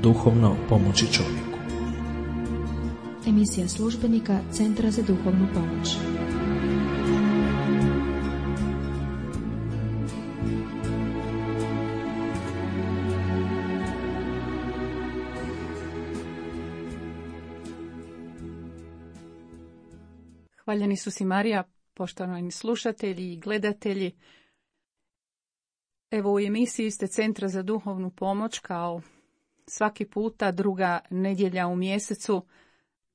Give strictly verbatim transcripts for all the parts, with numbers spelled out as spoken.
duhovno pomoći čovjeku. Emisija službenika Centra za duhovnu pomoć. Hvaljeni Isus i Marija, poštovani slušatelji i gledatelji. Evo u emisiji ste Centra za duhovnu pomoć, kao svaki puta druga nedjelja u mjesecu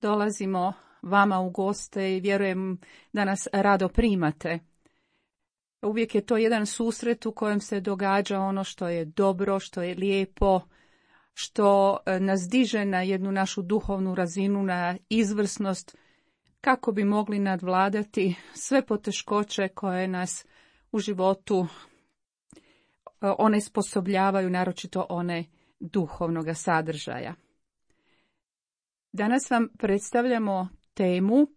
dolazimo vama u goste i vjerujem da nas rado primate. Uvijek je to jedan susret u kojem se događa ono što je dobro, što je lijepo, što nas diže na jednu našu duhovnu razinu, na izvrsnost, kako bi mogli nadvladati sve poteškoće koje nas u životu onesposobljavaju, naročito one duhovnoga sadržaja. Danas vam predstavljamo temu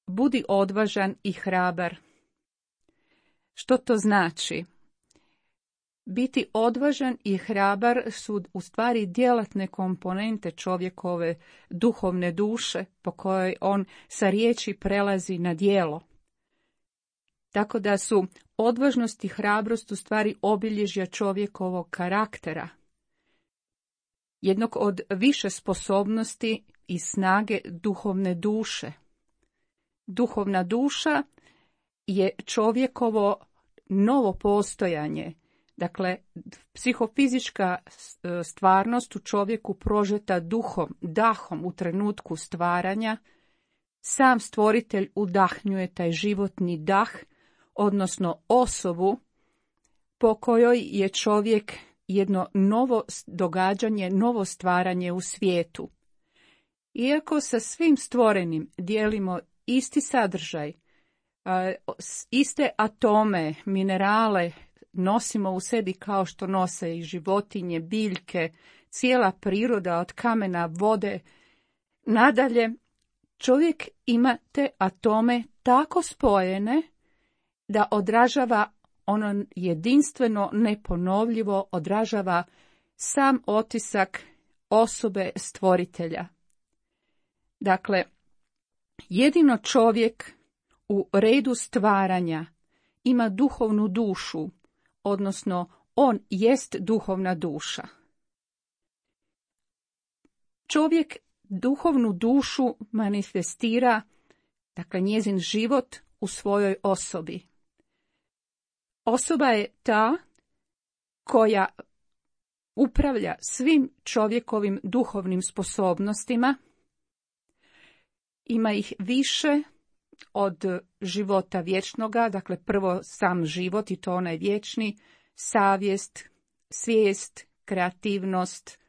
Budi odvažan i hrabar. Što to znači? Biti odvažan i hrabar su u stvari djelatne komponente čovjekove duhovne duše po kojoj on sa riječi prelazi na djelo. Tako da su odvažnost i hrabrost u stvari obilježja čovjekovog karaktera. Jednog od više sposobnosti i snage duhovne duše. Duhovna duša je čovjekovo novo postojanje. Dakle, psihofizička stvarnost u čovjeku prožeta duhom, dahom u trenutku stvaranja. Sam stvoritelj udahnjuje taj životni dah, odnosno osobu po kojoj je čovjek jedno novo događanje, novo stvaranje u svijetu. Iako sa svim stvorenim dijelimo isti sadržaj, iste atome, minerale, nosimo u sebi kao što nose i životinje, biljke, cijela priroda od kamena, vode. Nadalje, čovjek ima te atome tako spojene da odražava ono jedinstveno, neponovljivo, odražava sam otisak osobe stvoritelja. Dakle, jedino čovjek u redu stvaranja ima duhovnu dušu, odnosno on jest duhovna duša. Čovjek duhovnu dušu manifestira, dakle njezin život u svojoj osobi. Osoba je ta koja upravlja svim čovjekovim duhovnim sposobnostima. Ima ih više od života vječnoga, dakle prvo sam život i to onaj vječni, savjest, svijest, kreativnost,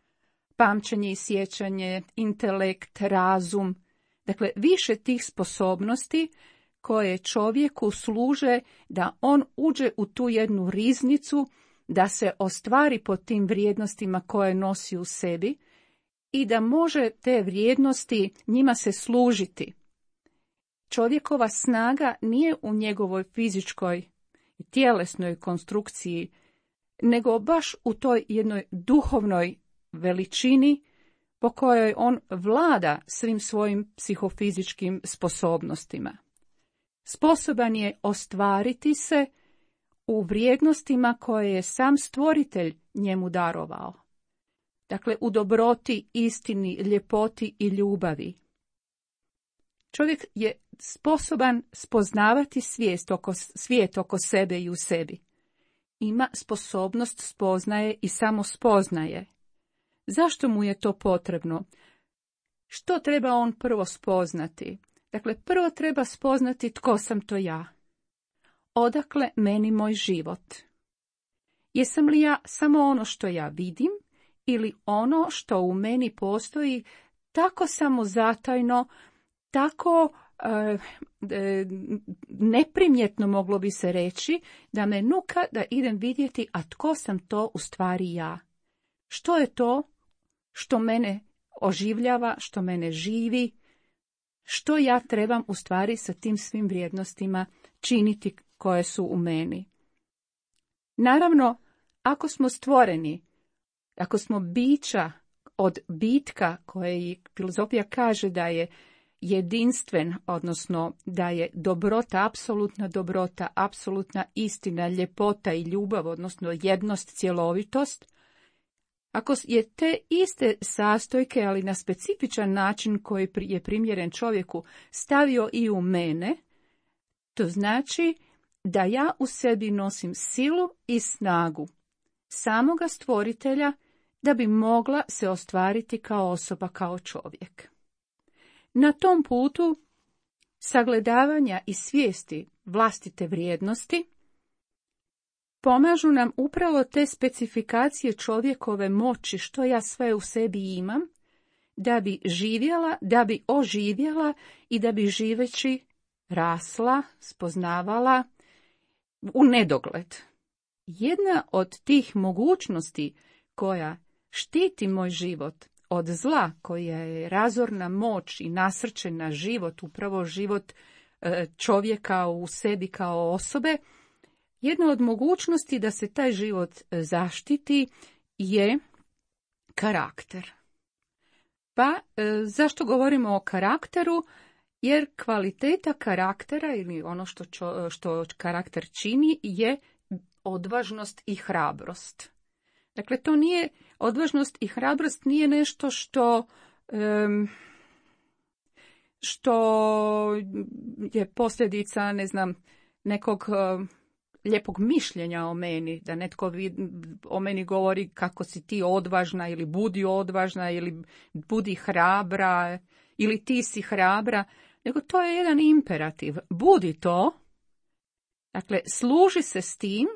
pamćenje i sjećanje, intelekt, razum. Dakle, više tih sposobnosti koje čovjeku služe da on uđe u tu jednu riznicu, da se ostvari po tim vrijednostima koje nosi u sebi i da može te vrijednosti njima se služiti. Čovjekova snaga nije u njegovoj fizičkoj i tjelesnoj konstrukciji, nego baš u toj jednoj duhovnoj veličini po kojoj on vlada svim svojim psihofizičkim sposobnostima. Sposoban je ostvariti se u vrijednostima koje je sam stvoritelj njemu darovao. Dakle, u dobroti, istini, ljepoti i ljubavi. Čovjek je sposoban spoznavati svijest oko, svijet oko sebe i u sebi. Ima sposobnost spoznaje i samospoznaje. Zašto mu je to potrebno? Što treba on prvo spoznati? Dakle, prvo treba spoznati tko sam to ja. Odakle meni moj život? Jesam li ja samo ono što ja vidim ili ono što u meni postoji tako samozatajno, tako e, e, neprimjetno moglo bi se reći da me nuka da idem vidjeti, a tko sam to u stvari ja? Što je to što mene oživljava, što mene živi? Što ja trebam u stvari sa tim svim vrijednostima činiti koje su u meni? Naravno, ako smo stvoreni, ako smo bića od bitka koje filozofija kaže da je jedinstven, odnosno da je dobrota, apsolutna dobrota, apsolutna istina, ljepota i ljubav, odnosno jednost, cjelovitost, ako je te iste sastojke, ali na specifičan način koji je primjeren čovjeku, stavio i u mene, to znači da ja u sebi nosim silu i snagu samoga stvoritelja da bi mogla se ostvariti kao osoba, kao čovjek. Na tom putu sagledavanja i svijesti vlastite vrijednosti pomažu nam upravo te specifikacije čovjekove moći, što ja sve u sebi imam, da bi živjela, da bi oživjela i da bi živeći rasla, spoznavala u nedogled. Jedna od tih mogućnosti koja štiti moj život od zla, koja je razorna moć i nasrćena život, upravo život čovjeka u sebi kao osobe, jedna od mogućnosti da se taj život zaštiti je karakter. Pa zašto govorimo o karakteru? Jer kvaliteta karaktera ili ono što, čo, što karakter čini je odvažnost i hrabrost. Dakle, to nije, odvažnost i hrabrost nije nešto što, um, što je posljedica, ne znam, nekog uh, lijepog mišljenja o meni, da netko vid, o meni govori kako si ti odvažna ili budi odvažna ili budi hrabra ili ti si hrabra, nego to je jedan imperativ. Budi to, dakle, služi se s tim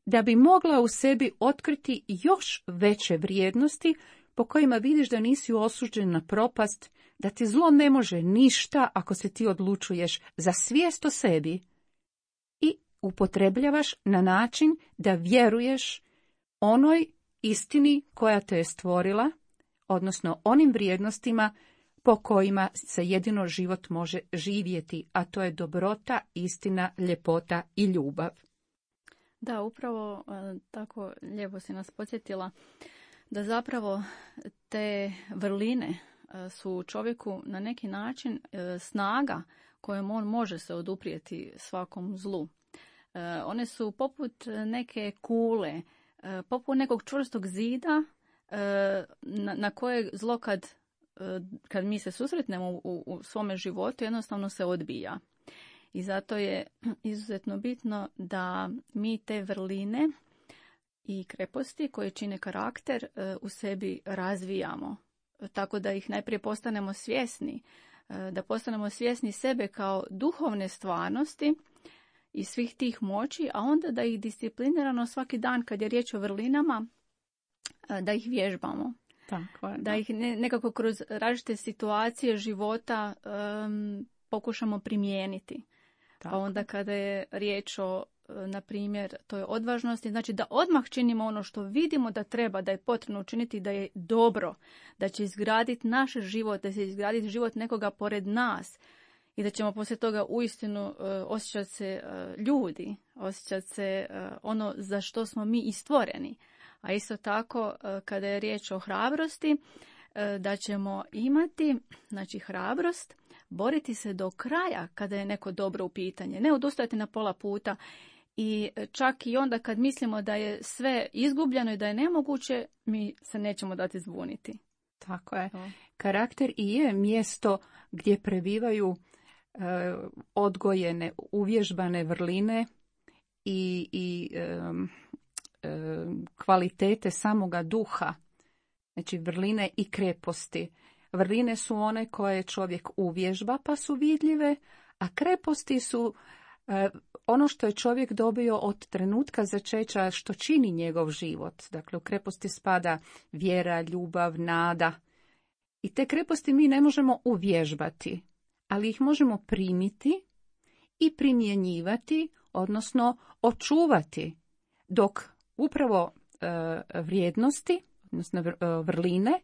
da bi mogla u sebi otkriti još veće vrijednosti po kojima vidiš da nisi osuđen na propast, da ti zlo ne može ništa ako se ti odlučuješ za svijest o sebi i upotrebljavaš na način da vjeruješ onoj istini koja te je stvorila, odnosno onim vrijednostima po kojima se jedino život može živjeti, a to je dobrota, istina, ljepota i ljubav. Da, upravo tako lijepo si nas podsjetila da zapravo te vrline su čovjeku na neki način snaga kojom on može se oduprijeti svakom zlu. One su poput neke kule, poput nekog čvrstog zida na, na koje zlo kad, kad mi se susretnemo u, u svome životu jednostavno se odbija. I zato je izuzetno bitno da mi te vrline i kreposti koje čine karakter u sebi razvijamo. Tako da ih najprije postanemo svjesni, da postanemo svjesni sebe kao duhovne stvarnosti i svih tih moći, a onda da ih disciplinirano svaki dan kad je riječ o vrlinama, da ih vježbamo. Tako je, da. da ih ne, nekako kroz različite situacije života um, pokušamo primijeniti. Tako. Pa onda kada je riječ o, na primjer, toj odvažnosti, znači da odmah činimo ono što vidimo da treba, da je potrebno učiniti, da je dobro, da će izgraditi naš život, da će izgraditi život nekoga pored nas i da ćemo poslije toga uistinu uh, osjećati se uh, ljudi, osjećati se uh, ono za što smo mi i stvoreni. A isto tako, uh, kada je riječ o hrabrosti, uh, da ćemo imati, znači, hrabrost, boriti se do kraja kada je neko dobro u pitanje, ne odustajati na pola puta i čak i onda kad mislimo da je sve izgubljeno i da je nemoguće, mi se nećemo dati zbuniti. Tako je. Karakter i je mjesto gdje prebivaju e, odgojene, uvježbane vrline i, i e, e, kvalitete samoga duha, znači vrline i kreposti. Vrline su one koje čovjek uvježba pa su vidljive, a kreposti su e, ono što je čovjek dobio od trenutka začeća što čini njegov život. Dakle, u kreposti spada vjera, ljubav, nada. I te kreposti mi ne možemo uvježbati, ali ih možemo primiti i primjenjivati, odnosno očuvati, dok upravo e, vrijednosti, odnosno vrline,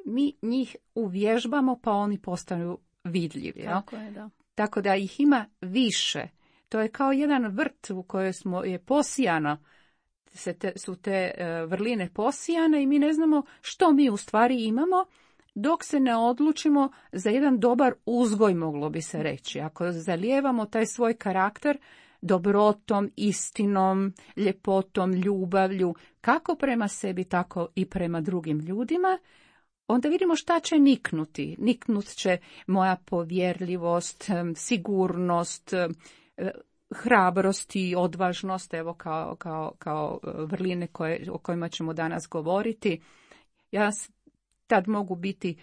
mi njih uvježbamo pa oni postanu vidljivi. Tako je, da. Tako da ih ima više. To je kao jedan vrt u kojem smo je posijano se te, su te vrline posijane i mi ne znamo što mi u stvari imamo, dok se ne odlučimo za jedan dobar uzgoj, moglo bi se reći. Ako zalijevamo taj svoj karakter dobrotom, istinom, ljepotom, ljubavlju, kako prema sebi, tako i prema drugim ljudima, onda vidimo šta će niknuti. Niknut će moja povjerljivost, sigurnost, hrabrost i odvažnost, evo kao, kao, kao vrline koje, o kojima ćemo danas govoriti. Ja tad mogu biti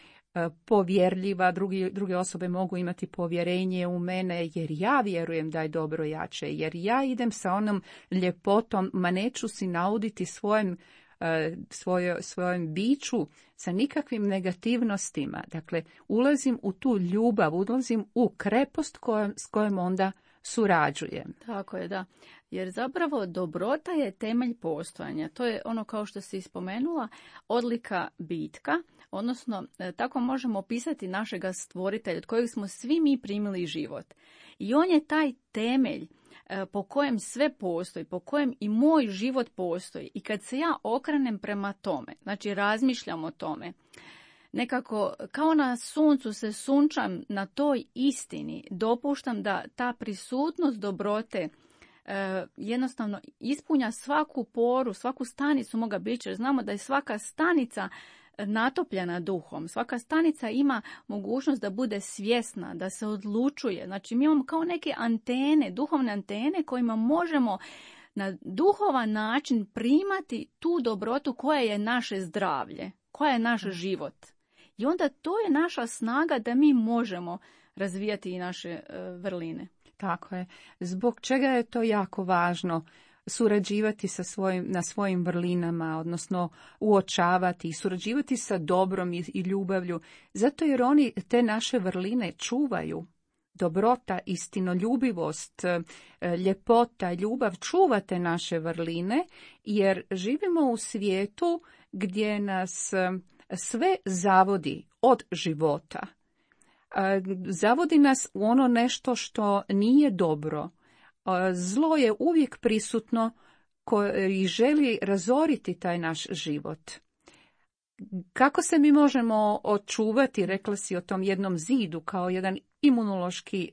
povjerljiva, drugi, druge osobe mogu imati povjerenje u mene, jer ja vjerujem da je dobro jače, jer ja idem sa onom ljepotom, ma neću si nauditi svojem, svoje, svojem biću sa nikakvim negativnostima. Dakle, ulazim u tu ljubav, ulazim u krepost kojom, s kojom onda surađujem. Tako je, da. Jer zapravo dobrota je temelj postojanja. To je ono, kao što si spomenula, odlika bitka, odnosno tako možemo opisati našega stvoritelja od kojeg smo svi mi primili život. I on je taj temelj po kojem sve postoji, po kojem i moj život postoji. I kad se ja okrenem prema tome, znači razmišljam o tome, nekako kao na suncu se sunčam na toj istini, dopuštam da ta prisutnost dobrote e, jednostavno ispunja svaku poru, svaku stanicu moga bića. Znamo da je svaka stanica natopljena duhom, svaka stanica ima mogućnost da bude svjesna, da se odlučuje. Znači mi imamo kao neke antene, duhovne antene kojima možemo na duhovan način primati tu dobrotu koja je naše zdravlje, koja je naš život. I onda to je naša snaga da mi možemo razvijati i naše uh, vrline. Tako je. Zbog čega je to jako važno surađivati sa svojim, na svojim vrlinama, odnosno uočavati i surađivati sa dobrom i, i ljubavlju, zato jer oni te naše vrline čuvaju. Dobrota, istinoljubivost, ljepota, ljubav čuva te naše vrline, jer živimo u svijetu gdje nas sve zavodi od života. Zavodi nas u ono nešto što nije dobro. Zlo je uvijek prisutno i želi razoriti taj naš život. Kako se mi možemo očuvati, rekla si o tom jednom zidu, kao jedan imunološki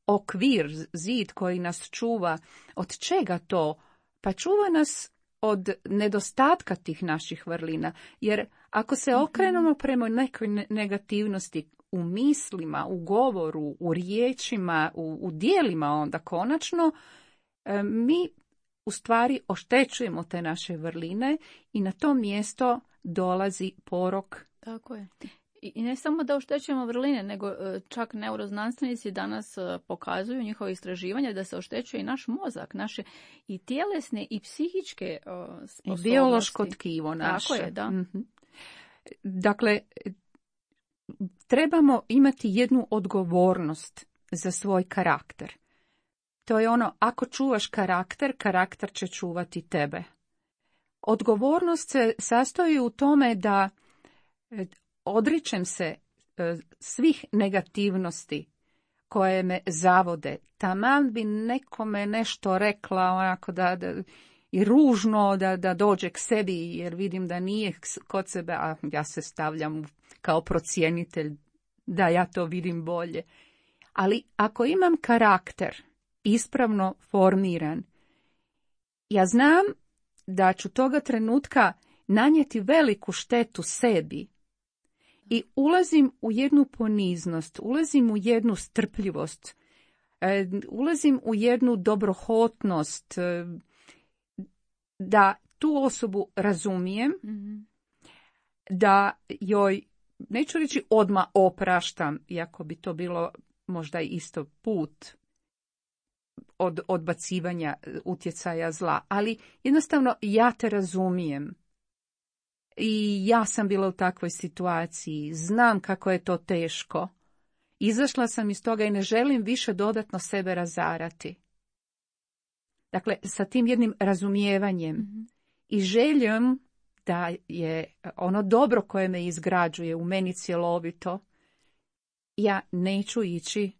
okvir, zid koji nas čuva. Od čega to? Pa čuva nas od nedostatka tih naših vrlina. Jer ako se okrenemo prema nekoj negativnosti u mislima, u govoru, u riječima, u, u dijelima onda konačno, mi u stvari oštećujemo te naše vrline i na to mjesto dolazi porok. Tako je. I ne samo da oštećujemo vrline, nego čak neuroznanstvenici danas pokazuju njihove istraživanja da se oštećuje i naš mozak, naše i tjelesne i psihičke sposobnosti. I biološko tkivo naše. Tako je, da. Mm-hmm. Dakle, trebamo imati jednu odgovornost za svoj karakter. To je ono, ako čuvaš karakter, karakter će čuvati tebe. Odgovornost se sastoji u tome da odričem se svih negativnosti koje me zavode. Taman bi nekome nešto rekla onako da, da i ružno da, da dođe k sebi, jer vidim da nije kod sebe, a ja se stavljam kao procjenitelj da ja to vidim bolje. Ali ako imam karakter ispravno formiran, ja znam da ću toga trenutka nanijeti veliku štetu sebi i ulazim u jednu poniznost, ulazim u jednu strpljivost, ulazim u jednu dobrohotnost, da tu osobu razumijem, mm-hmm. da joj, neću reći odmah opraštam, iako bi to bilo možda isto put od odbacivanja utjecaja zla, ali jednostavno ja te razumijem. I ja sam bila u takvoj situaciji, znam kako je to teško. Izašla sam iz toga i ne želim više dodatno sebe razarati. Dakle, sa tim jednim razumijevanjem mm-hmm. i željom da je ono dobro koje me izgrađuje u meni cjelovito, ja neću ići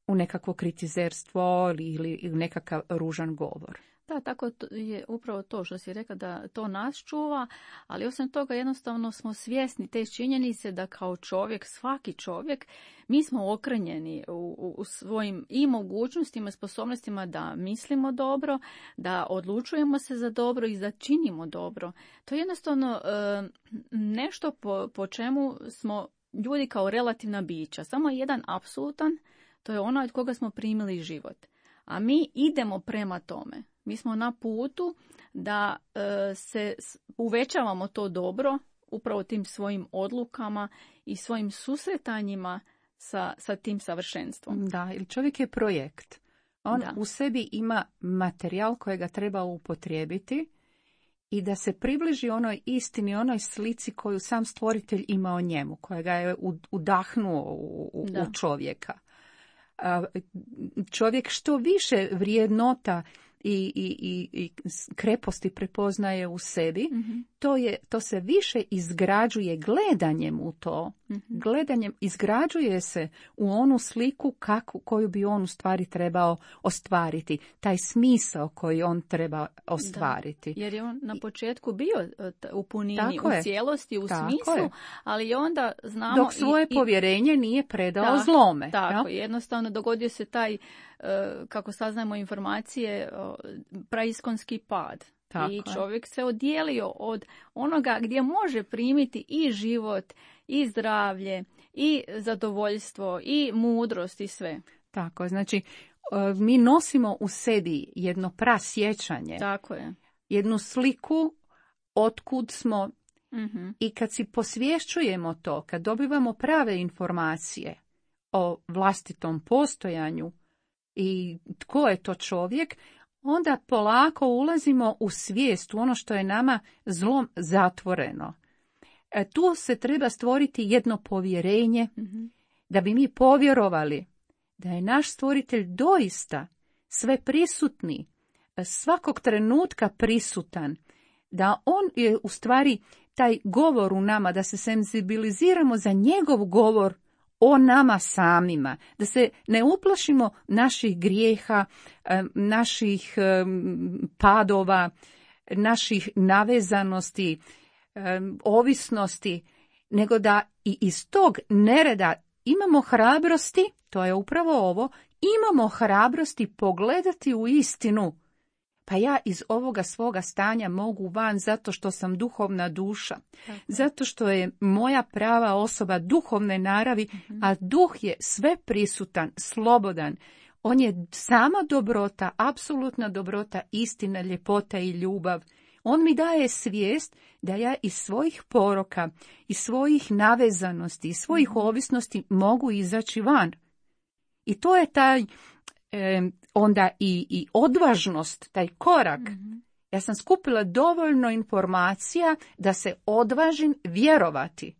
u nekakvo kritizerstvo ili, ili nekakav ružan govor. Da, tako je upravo to što si rekla, da to nas čuva, ali osim toga jednostavno smo svjesni te činjenice da kao čovjek, svaki čovjek, mi smo okrenjeni u, u, u svojim i mogućnostima, sposobnostima da mislimo dobro, da odlučujemo se za dobro i da činimo dobro. To je jednostavno e, nešto po, po čemu smo ljudi kao relativna bića. Samo jedan apsolutan, to je ono od koga smo primili život. A mi idemo prema tome. Mi smo na putu da e, se uvećavamo to dobro upravo tim svojim odlukama i svojim susretanjima sa, sa tim savršenstvom. Da, ili čovjek je projekt. On Da. u sebi ima materijal kojega treba upotrijebiti i da se približi onoj istini, onoj slici koju sam stvoritelj ima o njemu, kojega je udahnuo u, u, u čovjeka. Čovjek što više vrijednota i, i, i, i kreposti prepoznaje u sebi, mm-hmm. to, je, to se više izgrađuje gledanjem u to. Mm-hmm. Gledanjem izgrađuje se u onu sliku kako, koju bi on u stvari trebao ostvariti. Taj smisao koji on treba ostvariti. Da, jer je on na početku bio u punini, Tako u je. cijelosti, u Tako smislu, je. ali onda znamo... Dok svoje i, povjerenje nije predao da, zlome. Tako, ja? jednostavno dogodio se taj, kako saznajemo informacije, praiskonski pad. Tako I je. čovjek se odijelio od onoga gdje može primiti i život, i zdravlje, i zadovoljstvo, i mudrost, i sve. Tako je, znači mi nosimo u sebi jedno prasjećanje. Tako je. Jednu sliku otkud smo, mm-hmm. i kad si posvješćujemo to, kad dobivamo prave informacije o vlastitom postojanju i tko je to čovjek, onda polako ulazimo u svijest, u ono što je nama zlom zatvoreno. E, tu se treba stvoriti jedno povjerenje, mm-hmm. da bi mi povjerovali da je naš stvoritelj doista sve prisutni, svakog trenutka prisutan, da on je u stvari taj govor u nama, da se senzibiliziramo za njegov govor o nama samima, da se ne uplašimo naših grijeha, naših padova, naših navezanosti, ovisnosti, nego da i iz tog nereda imamo hrabrosti, to je upravo ovo, imamo hrabrosti pogledati u istinu. Pa ja iz ovoga svoga stanja mogu van zato što sam duhovna duša. Tako. Zato što je moja prava osoba duhovne naravi, mm-hmm. a duh je sve prisutan, slobodan. On je sama dobrota, apsolutna dobrota, istina, ljepota i ljubav. On mi daje svijest da ja iz svojih poroka, iz svojih navezanosti, iz svojih mm-hmm. ovisnosti mogu izaći van. I to je taj... E, onda i, i odvažnost, taj korak. Mm-hmm. Ja sam skupila dovoljno informacija da se odvažim vjerovati.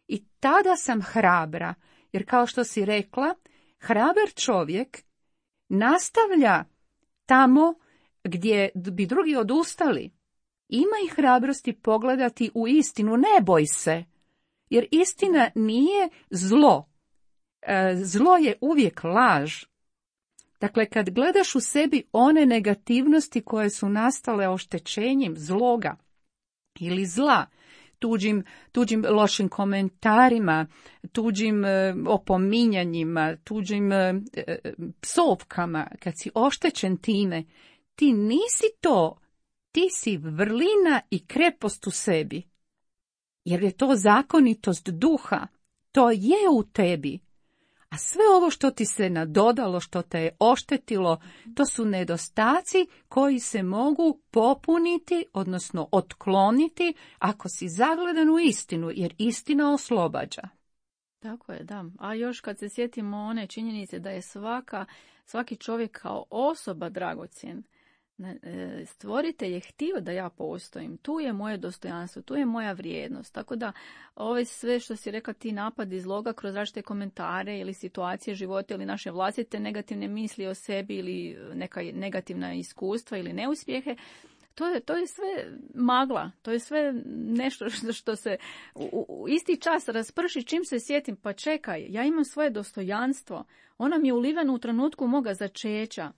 I tada sam hrabra, jer kao što si rekla, hrabar čovjek nastavlja tamo gdje bi drugi odustali. Ima i hrabrosti pogledati u istinu, ne boj se, jer istina nije zlo. E, zlo je uvijek laž. Dakle, kad gledaš u sebi one negativnosti koje su nastale oštećenjem zloga ili zla, tuđim, tuđim lošim komentarima, tuđim e, opominjanjima, tuđim e, psovkama, kad si oštećen time, ti nisi to, ti si vrlina i krepost u sebi. Jer je to zakonitost duha, to je u tebi. A sve ovo što ti se nadodalo, što te je oštetilo, to su nedostaci koji se mogu popuniti, odnosno otkloniti, ako si zagledan u istinu, jer istina oslobađa. Tako je, da. A još kad se sjetimo one činjenice da je svaka, svaki čovjek kao osoba dragocjen, stvoritelj je htio da ja postojim, tu je moje dostojanstvo, tu je moja vrijednost, tako da ove sve što si rekla, ti napadi zloga kroz različite komentare ili situacije života ili naše vlastite negativne misli o sebi ili neka negativna iskustva ili neuspjehe, to je, to je sve magla, to je sve nešto što, što se u, u isti čas rasprši čim se sjetim, pa čekaj, ja imam svoje dostojanstvo, ono mi je uliveno u trenutku moga začeća.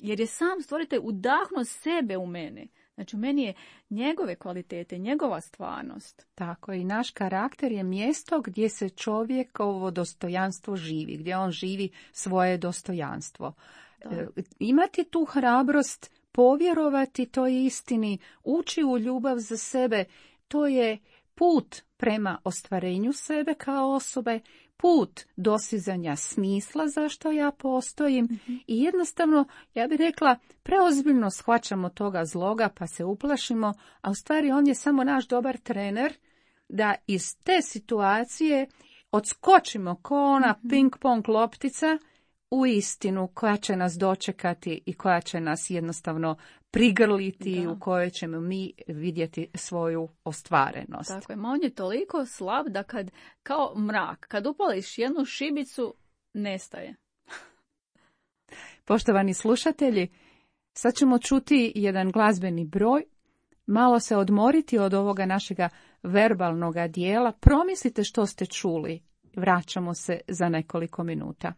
jer je sam stvoritelj udahnuo sebe u mene. Znači, u meni je njegove kvalitete, njegova stvarnost. Tako, i naš karakter je mjesto gdje se čovjekovo dostojanstvo živi, gdje on živi svoje dostojanstvo. E, imati tu hrabrost, povjerovati toj istini, ući u ljubav za sebe, to je put prema ostvarenju sebe kao osobe, put dosizanja smisla zašto ja postojim mm-hmm. i jednostavno, ja bih rekla, preozbiljno shvaćamo toga zloga pa se uplašimo, a u stvari on je samo naš dobar trener da iz te situacije odskočimo ko ona mm-hmm. ping-pong loptica u istinu koja će nas dočekati i koja će nas jednostavno prigrliti, da. U kojoj ćemo mi vidjeti svoju ostvarenost. Tako je, ma on je toliko slab da kad, kao mrak, kad upališ jednu šibicu, nestaje. Poštovani slušatelji, sad ćemo čuti jedan glazbeni broj, malo se odmoriti od ovoga našega verbalnog dijela, promislite što ste čuli, vraćamo se za nekoliko minuta.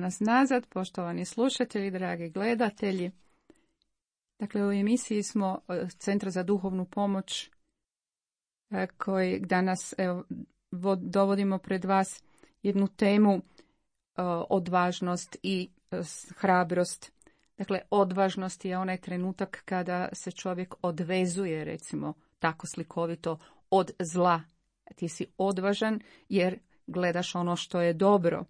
nas nazad, poštovani slušatelji, dragi gledatelji. Dakle, u emisiji smo Centra za duhovnu pomoć koji danas evo, dovodimo pred vas jednu temu odvažnost i hrabrost. Dakle, odvažnost je onaj trenutak kada se čovjek odvezuje, recimo, tako slikovito, od zla. Ti si odvažan jer gledaš ono što je dobro.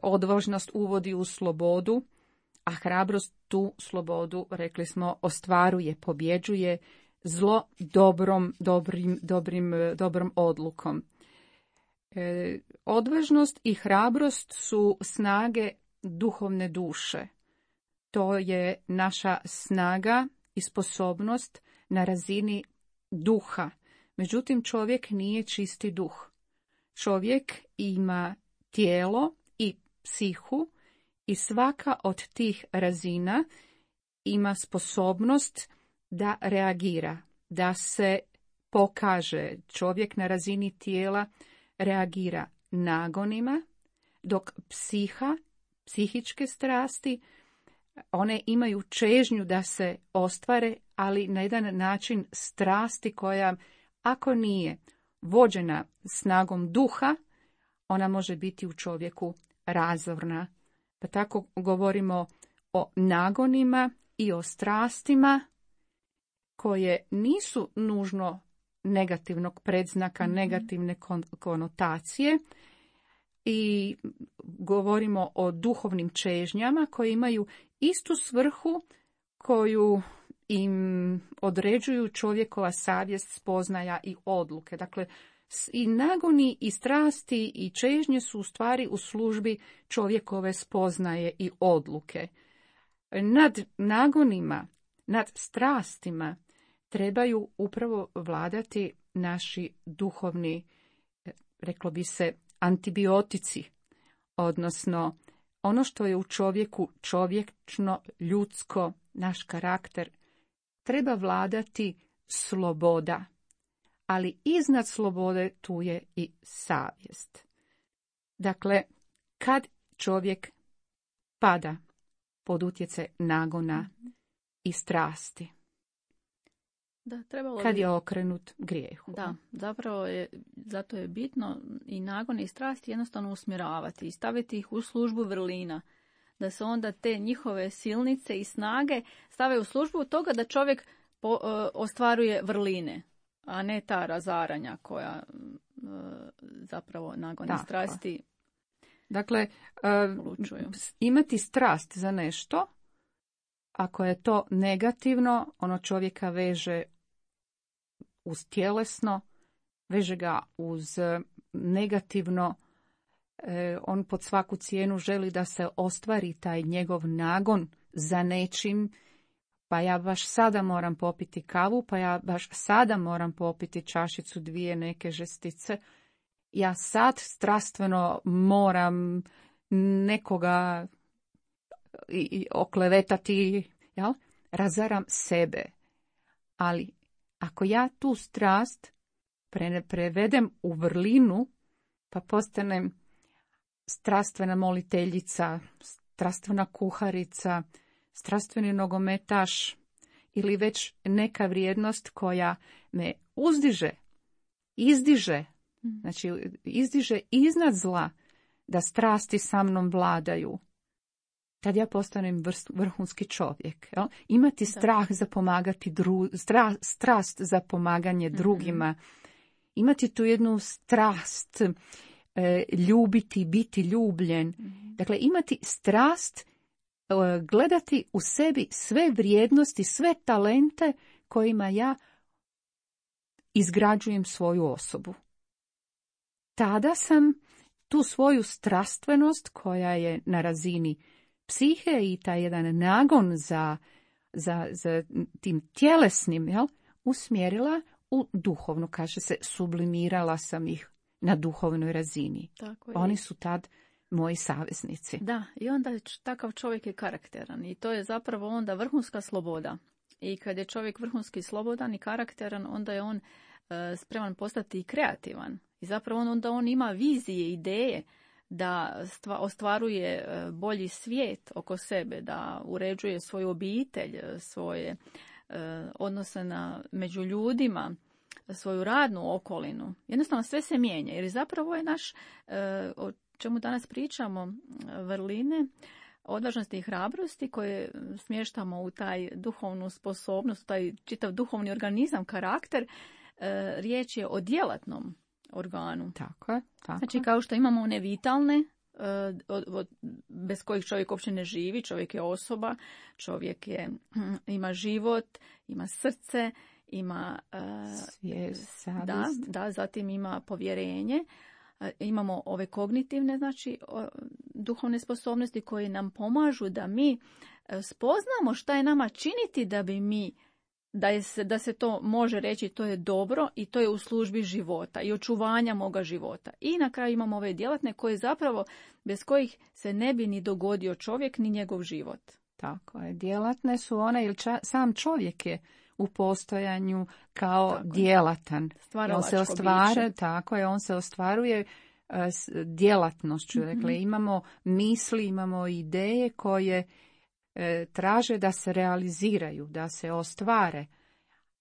Odvažnost uvodi u slobodu, a hrabrost tu slobodu, rekli smo, ostvaruje, pobjeđuje zlo dobrom, dobrim, dobrim, dobrom odlukom. E, odvažnost i hrabrost su snage duhovne duše. To je naša snaga i sposobnost na razini duha. Međutim, čovjek nije čisti duh. Čovjek ima tijelo i psihu i svaka od tih razina ima sposobnost da reagira, da se pokaže. Čovjek na razini tijela reagira nagonima, dok psiha, psihičke strasti, one imaju čežnju da se ostvare, ali na jedan način strasti koja, ako nije vođena snagom duha, ona može biti u čovjeku razorna. Pa tako govorimo o nagonima i o strastima koje nisu nužno negativnog predznaka, mm-hmm. negativne konotacije, i govorimo o duhovnim čežnjama koje imaju istu svrhu koju im određuju čovjekova savjest, spoznaja i odluke. Dakle, i nagoni i strasti i čežnje su u stvari u službi čovjekove spoznaje i odluke. Nad nagonima, nad strastima trebaju upravo vladati naši duhovni, reklo bi se, antibiotici, odnosno ono što je u čovjeku čovječno, ljudsko, naš karakter, treba vladati sloboda. Ali iznad slobode tu je i savjest. Dakle, kad čovjek pada pod utjecaj nagona i strasti, da, trebalo kad bi... je okrenut grijehu. Da, zapravo je, zato je bitno i nagon i strasti jednostavno usmjeravati i staviti ih u službu vrlina. Da se onda te njihove silnice i snage stave u službu toga da čovjek po, uh, ostvaruje vrline, a ne ta razaranja koja uh, zapravo nagon i strasti. Dakle, uh, imati strast za nešto, ako je to negativno, ono čovjeka veže uz tjelesno, veže ga uz negativno, e, on pod svaku cijenu želi da se ostvari taj njegov nagon za nečim, pa ja baš sada moram popiti kavu, pa ja baš sada moram popiti čašicu dvije neke žestice, ja sad strastveno moram nekoga i, i oklevetati, jel? Razaram sebe. Ali ako ja tu strast pre, prevedem u vrlinu, pa postanem strastvena moliteljica, strastvena kuharica, strastveni nogometaš ili već neka vrijednost koja me uzdiže, izdiže, znači izdiže iznad zla, da strasti sa mnom vladaju, tad ja postanem vrhunski čovjek. Jel? Imati strah za pomagati dru, stra, strast za pomaganje mm-hmm. drugima, imati tu jednu strast, e, ljubiti, biti ljubljen. Mm-hmm. Dakle, imati strast, e, gledati u sebi sve vrijednosti, sve talente kojima ja izgrađujem svoju osobu. Tada sam tu svoju strastvenost koja je na razini psihe i taj jedan nagon za, za, za tim tjelesnim, jel, usmjerila u duhovnu, kaže se, sublimirala sam ih na duhovnoj razini. Tako je. Oni su tad moji saveznici. Da, i onda takav čovjek je karakteran i to je zapravo onda vrhunska sloboda. I kad je čovjek vrhunski slobodan i karakteran, onda je on e, spreman postati i kreativan. I zapravo on, onda on ima vizije, ideje da stva, ostvaruje bolji svijet oko sebe, da uređuje svoju obitelj, svoje e, odnose na, među ljudima, svoju radnu okolinu. Jednostavno sve se mijenja, jer zapravo je naš, e, o čemu danas pričamo, vrline, odvažnosti i hrabrosti koje smještamo u taj duhovnu sposobnost, taj čitav duhovni organizam, karakter, e, riječ je o djelatnom organu. Tako je. Tako. Znači kao što imamo one vitalne, e, od, od, bez kojih čovjek uopće ne živi, čovjek je osoba, čovjek je, ima život, ima srce, ima e, svijest, savjest. Da, da, zatim ima povjerenje. Imamo ove kognitivne, znači duhovne sposobnosti koje nam pomažu da mi spoznamo šta je nama činiti da bi mi, da, je se, da se to može reći to je dobro i to je u službi života i očuvanja moga života. I na kraju imamo ove djelatne koje zapravo, bez kojih se ne bi ni dogodio čovjek ni njegov život. Tako je, djelatne su one, jer ča, sam čovjek je u postojanju kao tako djelatan. On se ostvaruje, tako je, on se ostvaruje uh, s djelatnošću. Mm-hmm. Dakle, imamo misli, imamo ideje koje uh, traže da se realiziraju, da se ostvare.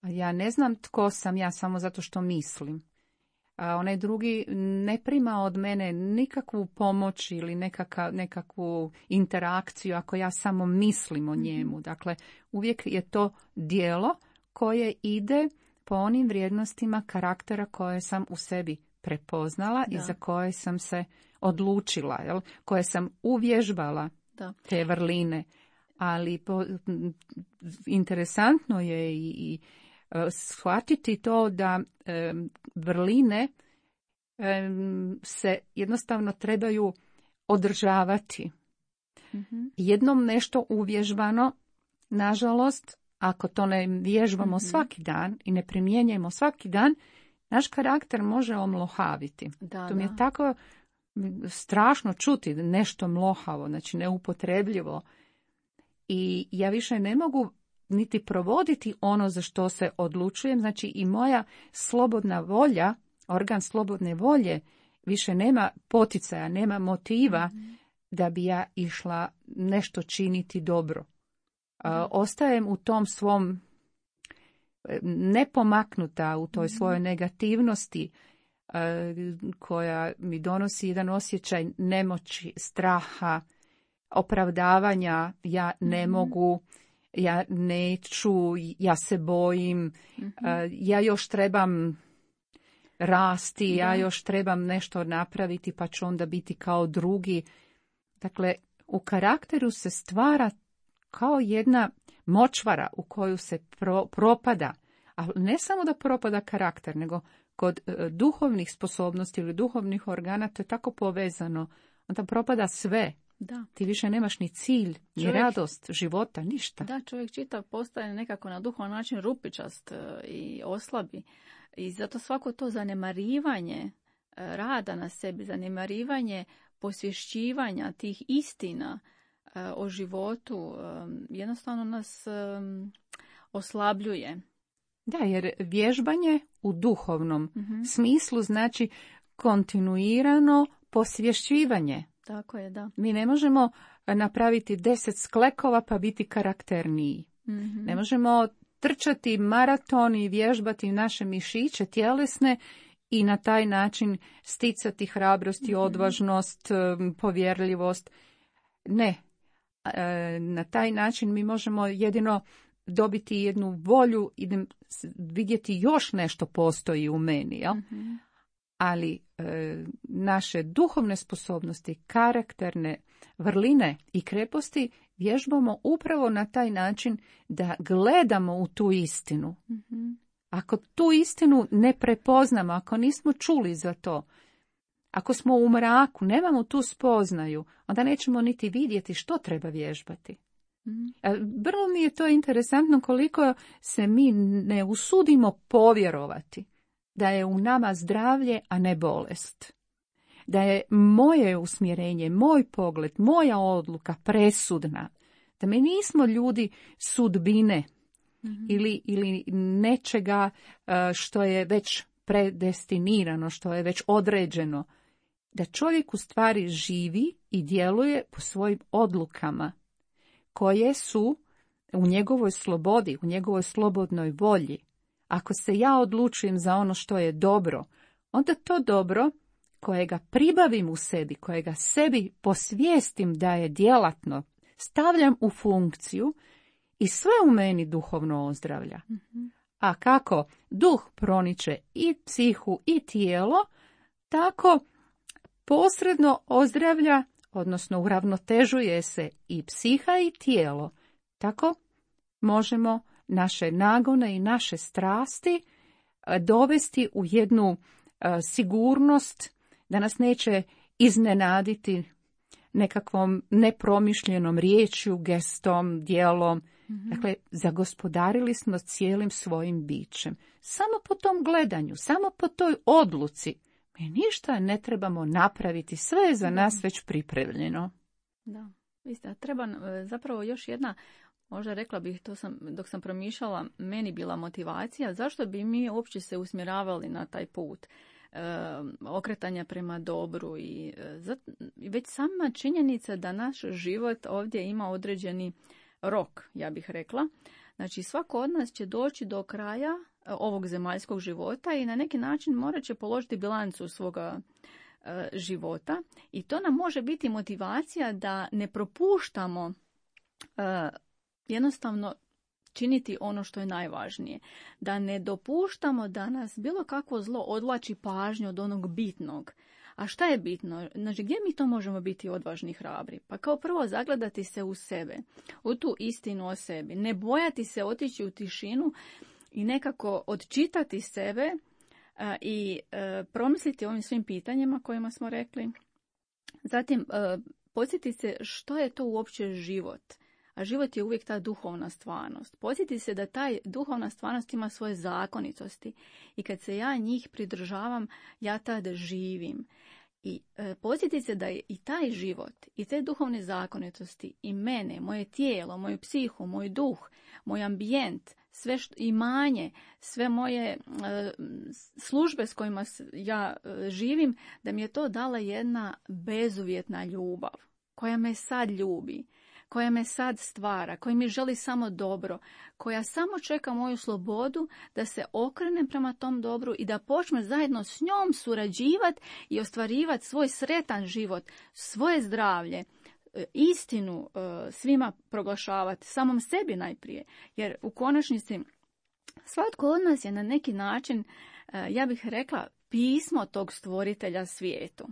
Ja ne znam tko sam ja samo zato što mislim. A onaj drugi ne prima od mene nikakvu pomoć ili nekaka, nekakvu interakciju ako ja samo mislim o njemu. Dakle, uvijek je to djelo koje ide po onim vrijednostima karaktera koje sam u sebi prepoznala da. I za koje sam se odlučila, jel? Koje sam uvježbala da. Te vrline. Ali po, interesantno je i, i shvatiti to da e, vrline e, se jednostavno trebaju održavati. Mm-hmm. Jednom nešto uvježbano, nažalost, ako to ne vježbamo mm-hmm. svaki dan i ne primjenjujemo svaki dan, naš karakter može omlohaviti. Da, to mi je da. Tako strašno čuti nešto mlohavo, znači neupotrebljivo. I ja više ne mogu niti provoditi ono za što se odlučujem, znači i moja slobodna volja, organ slobodne volje, više nema poticaja, nema motiva mm-hmm. da bi ja išla nešto činiti dobro. Mm-hmm. Uh, ostajem u tom svom nepomaknuta, u toj mm-hmm. svojoj negativnosti uh, koja mi donosi jedan osjećaj nemoći, straha, opravdavanja, ja ne mm-hmm. mogu, ja neću, ja se bojim, mm-hmm. uh, ja još trebam rasti, da. Ja još trebam nešto napraviti pa ću onda biti kao drugi. Dakle, u karakteru se stvara kao jedna močvara u koju se pro, propada, a ne samo da propada karakter, nego kod uh, duhovnih sposobnosti ili duhovnih organa to je tako povezano, onda propada sve. Da. Ti više nemaš ni cilj, ni čovjek, radost života, ništa. Da, čovjek čitav postaje nekako na duhovan način rupičast i oslabi. I zato svako to zanemarivanje rada na sebi, zanemarivanje posvješćivanja tih istina o životu jednostavno nas oslabljuje. Da, jer vježbanje u duhovnom mm-hmm. smislu znači kontinuirano posvješćivanje. Tako je, da. Mi ne možemo napraviti deset sklekova pa biti karakterniji. Mm-hmm. Ne možemo trčati maraton i vježbati naše mišiće tjelesne i na taj način sticati hrabrost i mm-hmm. odvažnost, povjerljivost. Ne. Na taj način mi možemo jedino dobiti jednu volju i vidjeti još nešto postoji u meni, jel? Mm-hmm. Ali e, naše duhovne sposobnosti, karakterne vrline i kreposti vježbamo upravo na taj način da gledamo u tu istinu. Mm-hmm. Ako tu istinu ne prepoznamo, ako nismo čuli za to, ako smo u mraku, nemamo tu spoznaju, onda nećemo niti vidjeti što treba vježbati. Mm-hmm. Vrlo mi je to interesantno koliko se mi ne usudimo povjerovati da je u nama zdravlje, a ne bolest. Da je moje usmjerenje, moj pogled, moja odluka presudna. Da mi nismo ljudi sudbine mm-hmm. ili, ili nečega što je već predestinirano, što je već određeno. da čovjek u stvari živi i djeluje po svojim odlukama, koje su u njegovoj slobodi, u njegovoj slobodnoj volji. Ako se ja odlučujem za ono što je dobro, onda to dobro kojega pribavim u sebi, kojega sebi posvijestim da je djelatno, stavljam u funkciju i sve u meni duhovno ozdravlja. Mm-hmm. A kako duh proniče i psihu i tijelo, tako posredno ozdravlja, odnosno uravnotežuje se i psiha i tijelo. Tako možemo naše nagone i naše strasti dovesti u jednu sigurnost da nas neće iznenaditi nekakvom nepromišljenom riječju, gestom, djelom. Mm-hmm. Dakle, zagospodarili smo cijelim svojim bićem. Samo po tom gledanju, samo po toj odluci. Mi ništa ne trebamo napraviti, sve je za nas već pripremljeno. Da, isto. Treba zapravo još jedna, možda rekla bih, to sam, dok sam promišljala, meni bila motivacija, zašto bi mi uopće se usmjeravali na taj put e, okretanja prema dobru i e, zat, već sama činjenica da naš život ovdje ima određeni rok, ja bih rekla. Znači, svako od nas će doći do kraja ovog zemaljskog života i na neki način morat će položiti bilancu svoga e, života i to nam može biti motivacija da ne propuštamo e, jednostavno činiti ono što je najvažnije. Da ne dopuštamo da nas bilo kakvo zlo odvlači pažnju od onog bitnog. A šta je bitno? Znači, gdje mi to možemo biti odvažni i hrabri? Pa kao prvo zagledati se u sebe, u tu istinu o sebi. Ne bojati se otići u tišinu i nekako odčitati sebe a, i a, promisliti o ovim svim pitanjima kojima smo rekli. Zatim, a, podsjetiti se što je to uopće život. A život je uvijek ta duhovna stvarnost. Podsjeti se da taj duhovna stvarnost ima svoje zakonitosti i kad se ja njih pridržavam, ja tada živim. I e, podsjeti se da je i taj život i te duhovne zakonitosti i mene, moje tijelo, moju psihu, moj duh, moj ambijent, sve što, imanje, sve moje e, službe s kojima ja e, živim, da mi je to dala jedna bezuvjetna ljubav koja me sad ljubi, koja me sad stvara, koja mi želi samo dobro, koja samo čeka moju slobodu da se okrenem prema tom dobru i da počnem zajedno s njom surađivati i ostvarivati svoj sretan život, svoje zdravlje, istinu svima proglašavati, samom sebi najprije. Jer u konačnici svatko od nas je na neki način, ja bih rekla, pismo tog stvoritelja svijetu.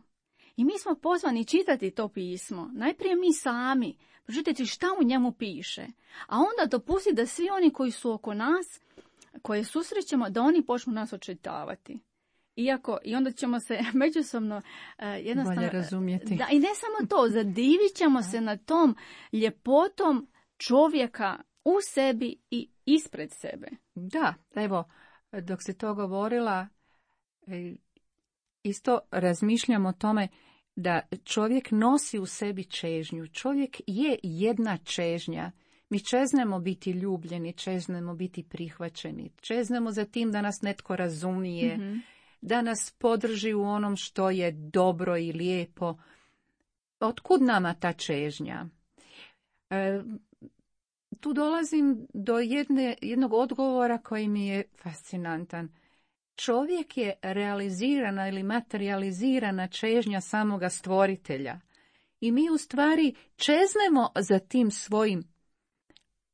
I mi smo pozvani čitati to pismo, najprije mi sami, pročitati šta u njemu piše, a onda dopustiti da svi oni koji su oko nas, koje susrećemo, da oni počnu nas očitavati. Iako, i onda ćemo se međusobno uh, jednostavno... bolje razumjeti. Da, i ne samo to, zadivit ćemo se na tom ljepotom čovjeka u sebi i ispred sebe. Da, evo, dok si to govorila, isto razmišljam o tome da čovjek nosi u sebi čežnju. Čovjek je jedna čežnja. Mi čeznemo biti ljubljeni, čeznemo biti prihvaćeni, čeznemo za tim da nas netko razumije, mm-hmm. da nas podrži u onom što je dobro i lijepo. Otkud nama ta čežnja? E, tu dolazim do jedne, jednog odgovora koji mi je fascinantan. Čovjek je realizirana ili materializirana čežnja samoga stvoritelja. I mi u stvari čeznemo za tim svojim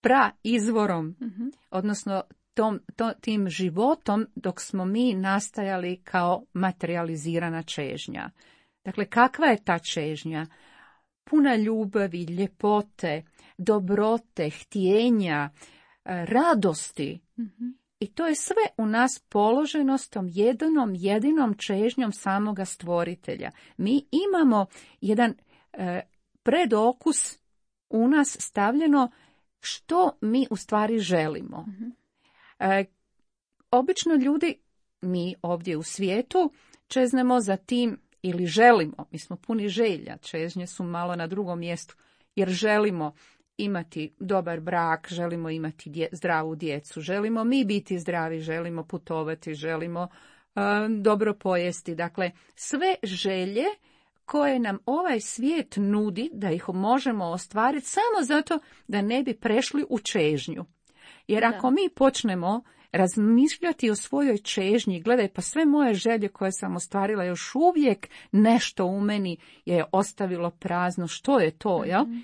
praizvorom, mm-hmm. odnosno tom, to, tim životom dok smo mi nastajali kao materializirana čežnja. Dakle, kakva je ta čežnja? Puna ljubavi, ljepote, dobrote, htjenja, radosti. Mm-hmm. I to je sve u nas položeno s tom jedinom, jedinom čežnjom samoga stvoritelja. Mi imamo jedan e, predokus u nas stavljeno što mi u stvari želimo. Mm-hmm. E, obično ljudi, mi ovdje u svijetu, čeznemo za tim ili želimo, mi smo puni želja, čežnje su malo na drugom mjestu, jer želimo imati dobar brak, želimo imati dje, zdravu djecu, želimo mi biti zdravi, želimo putovati, želimo uh, dobro pojesti. Dakle, sve želje koje nam ovaj svijet nudi da ih možemo ostvariti samo zato da ne bi prešli u čežnju. Jer Da. ako mi počnemo razmišljati o svojoj čežnji, gledaj, pa sve moje želje koje sam ostvarila, još uvijek nešto u meni je ostavilo prazno. Što je to, jel? Mhm.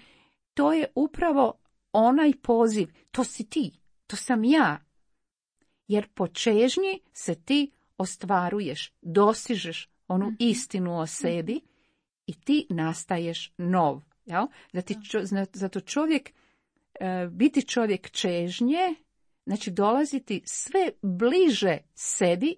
To je upravo onaj poziv. To si ti, to sam ja. Jer po čežnji se ti ostvaruješ, dosižeš onu Mhm. istinu o sebi i ti nastaješ nov. Jel? Zato, čo- zato čovjek, e, biti čovjek čežnje, znači dolaziti sve bliže sebi,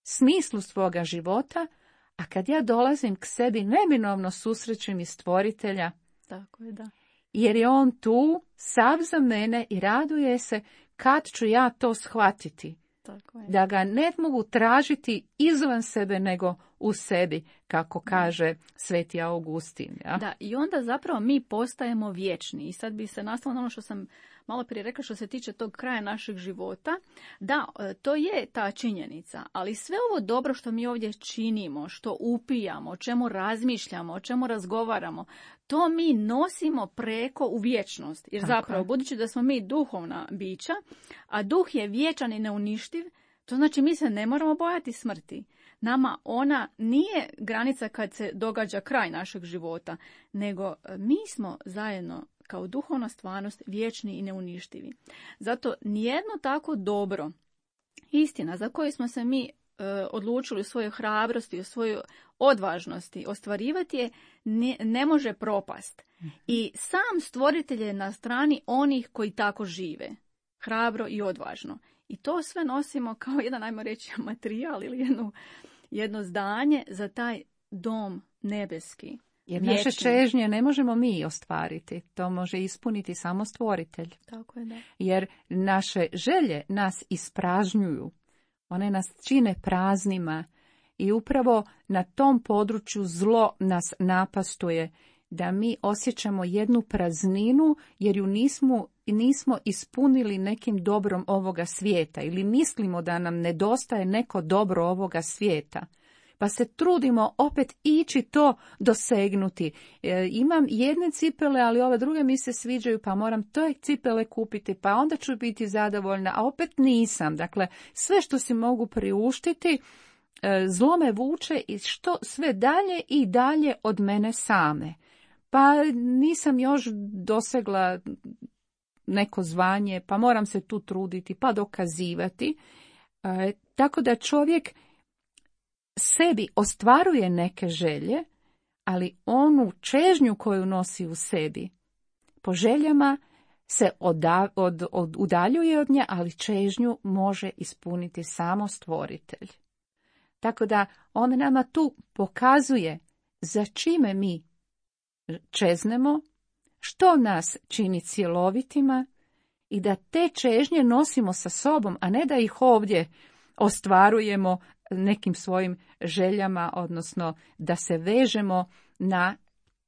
smislu svoga života, a kad ja dolazim k sebi, neminovno susrećem i stvoritelja, Tako je, da. jer je on tu, sav za mene i raduje se kad ću ja to shvatiti. Tako je. Da ga ne mogu tražiti izvan sebe nego u sebi, kako kaže Sveti Augustin. Ja? Da, i onda zapravo mi postajemo vječni. I sad bi se nastavilo na ono što sam malo prije rekla što se tiče tog kraja našeg života. Da, e, to je ta činjenica, ali sve ovo dobro što mi ovdje činimo, što upijamo, o čemu razmišljamo, o čemu razgovaramo, to mi nosimo preko u vječnost. Jer Tako zapravo, je. budući da smo mi duhovna bića, a duh je vječan i neuništiv, to znači mi se ne moramo bojati smrti. Nama ona nije granica kad se događa kraj našeg života, nego e, mi smo zajedno kao duhovna stvarnost vječni i neuništivi. Zato nijedno tako dobro, istina za koju smo se mi e, odlučili u svojoj hrabrosti, u svojoj odvažnosti ostvarivati je, ne, ne može propast. I sam stvoritelj je na strani onih koji tako žive, hrabro i odvažno. I to sve nosimo kao jedan, ajmo reći, materijal ili jednu, jedno zdanje za taj dom nebeski. Jer vječni. naše čežnje ne možemo mi ostvariti, to može ispuniti samo stvoritelj. Tako je, da. Jer naše želje nas ispražnjuju, one nas čine praznima i upravo na tom području zlo nas napastuje, da mi osjećamo jednu prazninu jer ju nismo, nismo ispunili nekim dobrom ovoga svijeta ili mislimo da nam nedostaje neko dobro ovoga svijeta. Pa se trudimo opet ići to dosegnuti. E, imam jedne cipele, ali ove druge mi se sviđaju, pa moram te cipele kupiti, pa onda ću biti zadovoljna, a opet nisam. Dakle, sve što si mogu priuštiti, e, zlo me vuče i što sve dalje i dalje od mene same. Pa nisam još dosegla neko zvanje, pa moram se tu truditi, pa dokazivati. E, tako da čovjek sebi ostvaruje neke želje, ali onu čežnju koju nosi u sebi, po željama se oda, od, od, udaljuje od nje, ali čežnju može ispuniti samo stvoritelj. Tako da on nama tu pokazuje za čime mi čeznemo, što nas čini cjelovitima i da te čežnje nosimo sa sobom, a ne da ih ovdje ostvarujemo nekim svojim željama, odnosno da se vežemo na,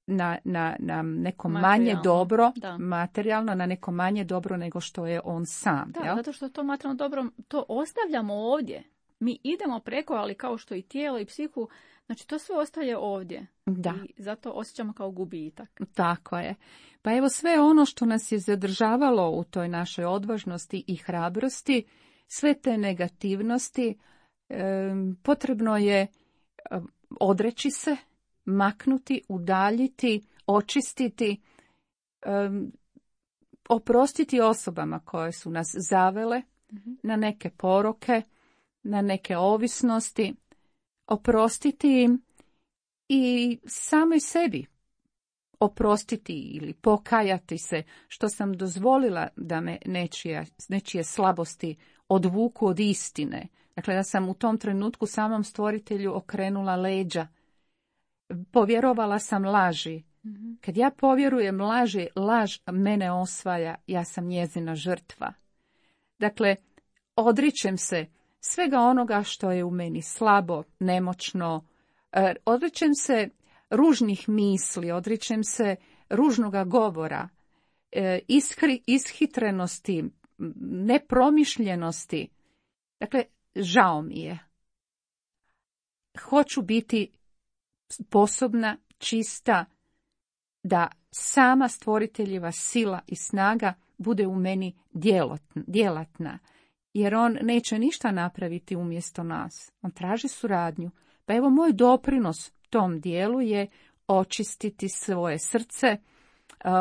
na, na, na neko manje Materijalno, dobro, da. materijalno, na neko manje dobro nego što je on sam. Da, jel? zato što to materijalno dobro, to ostavljamo ovdje. Mi idemo preko, ali kao što i tijelo i psihu, znači to sve ostaje ovdje. Da. I zato osjećamo kao gubitak. Tako je. Pa evo sve ono što nas je zadržavalo u toj našoj odvažnosti i hrabrosti, sve te negativnosti, e, potrebno je e, odreći se, maknuti, udaljiti, očistiti, e, oprostiti osobama koje su nas zavele Mhm. na neke poroke, na neke ovisnosti, oprostiti im i samoj sebi oprostiti ili pokajati se što sam dozvolila da me nečije, nečije slabosti odvuku od istine. Dakle, da sam u tom trenutku samom stvoritelju okrenula leđa. Povjerovala sam laži. Mhm. Kad ja povjerujem laži, laž mene osvaja, ja sam njezina žrtva. Dakle, odričem se svega onoga što je u meni slabo, nemoćno, e, odričem se ružnih misli, odričem se ružnoga govora, e, ishri, ishitrenosti, nepromišljenosti. Dakle, žao mi je. Hoću biti sposobna, čista, da sama stvoriteljeva sila i snaga bude u meni djelatna. Jer on neće ništa napraviti umjesto nas. On traži suradnju. Pa evo moj doprinos tom dijelu je očistiti svoje srce,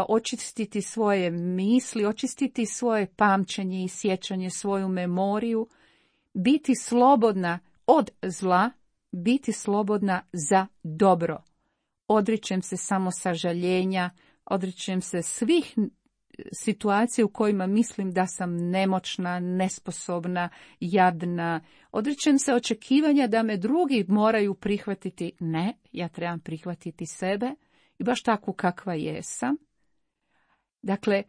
očistiti svoje misli, očistiti svoje pamćenje i sjećanje, svoju memoriju, biti slobodna od zla, biti slobodna za dobro. Odričem se samo sažaljenja, odričem se svih situacija u kojima mislim da sam nemoćna, nesposobna, jadna. Odričem se očekivanja da me drugi moraju prihvatiti. Ne, ja trebam prihvatiti sebe i baš takvu kakva jesam. Dakle,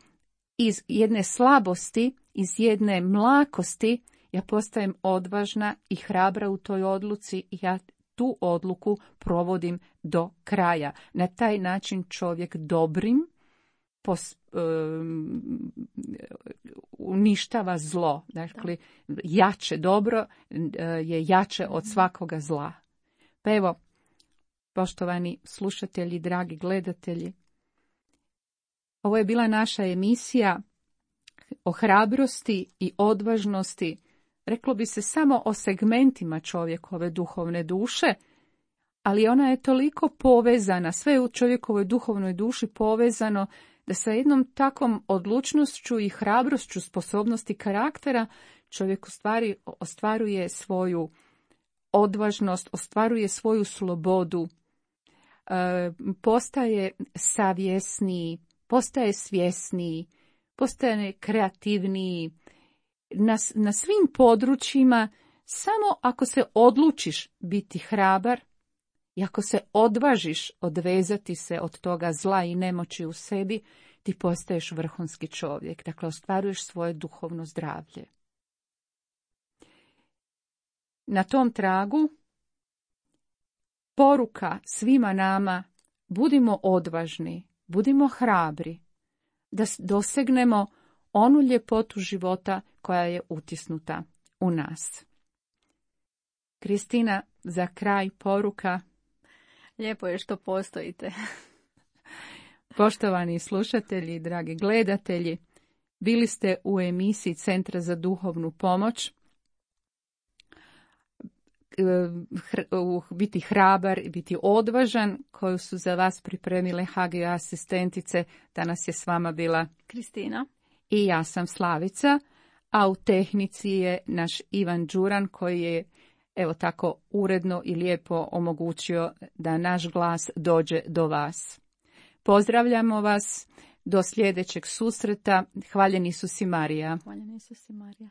iz jedne slabosti, iz jedne mlakosti, ja postajem odvažna i hrabra u toj odluci i ja tu odluku provodim do kraja. Na taj način čovjek dobrim pos, um, uništava zlo. Dakle, jače dobro je jače od svakoga zla. Pa evo, poštovani slušatelji, dragi gledatelji, ovo je bila naša emisija o hrabrosti i odvažnosti. Reklo bi se samo o segmentima čovjekove duhovne duše, ali ona je toliko povezana, sve je u čovjekovoj duhovnoj duši povezano, da sa jednom takvom odlučnošću i hrabrošću sposobnosti karaktera čovjek u stvari ostvaruje svoju odvažnost, ostvaruje svoju slobodu, e, postaje savjesniji, postaje svjesniji, postaje kreativniji. Na, na svim područjima, samo ako se odlučiš biti hrabar i ako se odvažiš odvezati se od toga zla i nemoći u sebi, ti postaješ vrhunski čovjek. Dakle, ostvaruješ svoje duhovno zdravlje. Na tom tragu poruka svima nama: budimo odvažni, budimo hrabri, da dosegnemo onu ljepotu života koja je utisnuta u nas. Kristina, za kraj poruka. Lijepo je što postojite. Poštovani slušatelji, dragi gledatelji, bili ste u emisiji Centra za duhovnu pomoć. Biti hrabar i biti odvažan, koju su za vas pripremile H G asistentice. Danas je s vama bila Kristina. I ja sam Slavica, a u tehnici je naš Ivan Đuran, koji je evo tako uredno i lijepo omogućio da naš glas dođe do vas. Pozdravljamo vas do sljedećeg susreta. Hvaljeni Isus i Marija. Hvaljeni Isus i Marija.